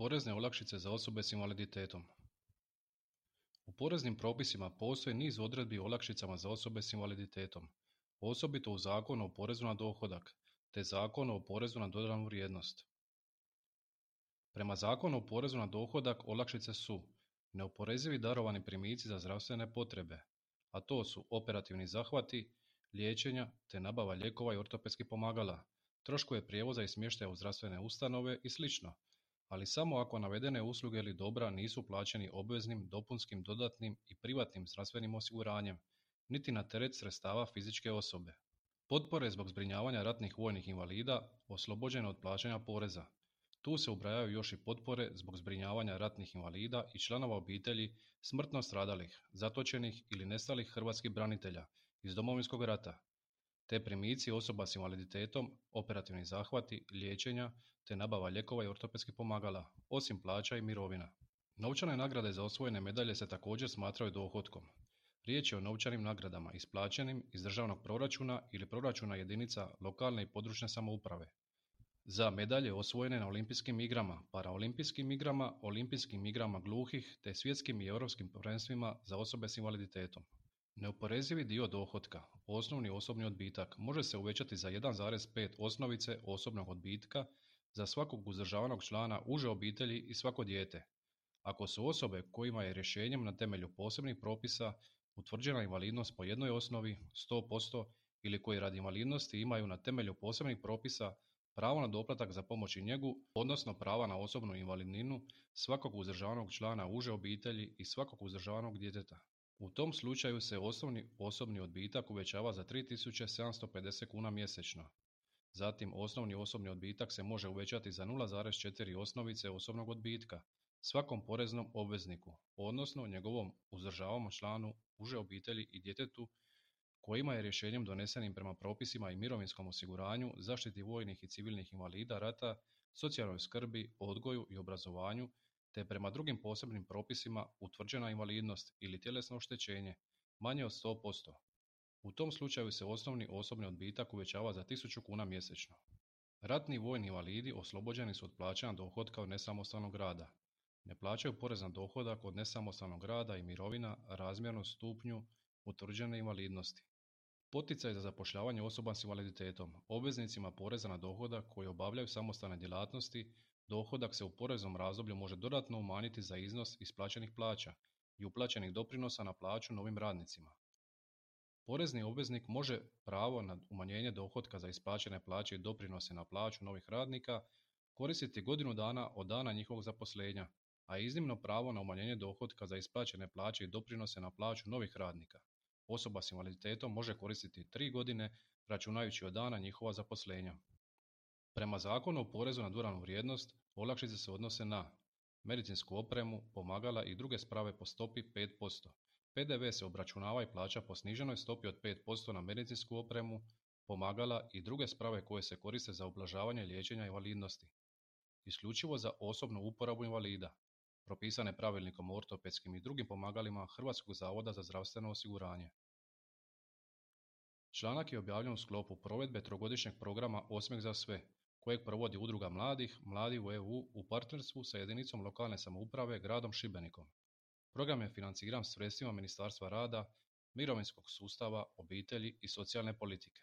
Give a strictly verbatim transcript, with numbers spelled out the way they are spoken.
Porezne olakšice za osobe s invaliditetom. U poreznim propisima postoji niz odredbi o olakšicama za osobe s invaliditetom, osobito u Zakonu o porezu na dohodak te Zakonu o porezu na dodanu vrijednost. Prema Zakonu o porezu na dohodak olakšice su neoporezivi darovani primici za zdravstvene potrebe, a to su operativni zahvati, liječenja te nabava lijekova i ortopedskih pomagala, troškove prijevoza i smještaja u zdravstvene ustanove i sl., ali samo ako navedene usluge ili dobra nisu plaćeni obveznim, dopunskim, dodatnim i privatnim zdravstvenim osiguranjem, niti na teret sredstava fizičke osobe. Potpore zbog zbrinjavanja ratnih vojnih invalida oslobođene od plaćanja poreza. Tu se ubrajaju još i potpore zbog zbrinjavanja ratnih invalida i članova obitelji smrtno stradalih, zatočenih ili nestalih hrvatskih branitelja iz Domovinskog rata, te primici osoba s invaliditetom, operativni zahvati, liječenja te nabava lijekova i ortopedskih pomagala, osim plaća i mirovina. Novčane nagrade za osvojene medalje se također smatraju dohotkom. Riječ je o novčanim nagradama isplaćenim iz državnog proračuna ili proračuna jedinica lokalne i područne samouprave. Za medalje osvojene na olimpijskim igrama, paraolimpijskim igrama, olimpijskim igrama gluhih te svjetskim i europskim prvenstvima za osobe s invaliditetom. Neoporezivi dio dohotka, osnovni osobni odbitak, može se uvećati za jedan zarez pet osnovice osobnog odbitka za svakog uzdržavanog člana uže obitelji i svako dijete, ako su osobe kojima je rješenjem na temelju posebnih propisa utvrđena invalidnost po jednoj osnovi sto posto ili koji radi invalidnosti imaju na temelju posebnih propisa pravo na doplatak za pomoć i njegu, odnosno prava na osobnu invalidninu svakog uzdržavanog člana uže obitelji i svakog uzdržavanog djeteta. U tom slučaju se osnovni osobni odbitak uvećava za tri tisuće sedamsto pedeset kuna mjesečno. Zatim osnovni osobni odbitak se može uvećati za nula zarez četiri osnovice osobnog odbitka svakom poreznom obvezniku, odnosno njegovom uzdržavanom članu uže obitelji i djetetu kojima je rješenjem donesenim prema propisima i mirovinskom osiguranju, zaštiti vojnih i civilnih invalida rata, socijalnoj skrbi, odgoju i obrazovanju, te prema drugim posebnim propisima utvrđena invalidnost ili tjelesno oštećenje manje od sto posto. U tom slučaju se osnovni osobni odbitak uvećava za tisuću kuna mjesečno. Ratni vojni invalidi oslobođeni su od plaćanja dohotka od nesamostalnog rada. Ne plaćaju porez na dohodak od nesamostalnog rada i mirovina razmjerno stupnju utvrđene invalidnosti. Poticaj za zapošljavanje osoba s invaliditetom. Obveznicima poreza na dohodak koji obavljaju samostalne djelatnosti, dohodak se u poreznom razdoblju može dodatno umanjiti za iznos isplaćenih plaća i uplaćenih doprinosa na plaću novim radnicima. Porezni obveznik može pravo na umanjenje dohotka za isplaćene plaće i doprinose na plaću novih radnika koristiti godinu dana od dana njihovog zaposlenja, a iznimno pravo na umanjenje dohotka za isplaćene plaće i doprinose na plaću novih radnika osoba s invaliditetom može koristiti tri godine računajući od dana njihova zaposlenja. Prema Zakonu o porezu na dodanu vrijednost, olakšice se odnose na medicinsku opremu, pomagala i druge sprave po stopi pet posto. P D V se obračunava i plaća po sniženoj stopi od pet posto na medicinsku opremu, pomagala i druge sprave koje se koriste za ublažavanje liječenja invalidnosti. Isključivo za osobnu uporabu invalida, propisane pravilnikom o ortopedskim i drugim pomagalima Hrvatskog zavoda za zdravstveno osiguranje. Članak je objavljen u sklopu provedbe trogodišnjeg programa Osmijeh za sve, kojeg provodi Udruga mladih, Mladi u E U u partnerstvu sa jedinicom lokalne samouprave gradom Šibenikom. Program je financiran sredstvima Ministarstva rada, mirovinskog sustava, obitelji i socijalne politike.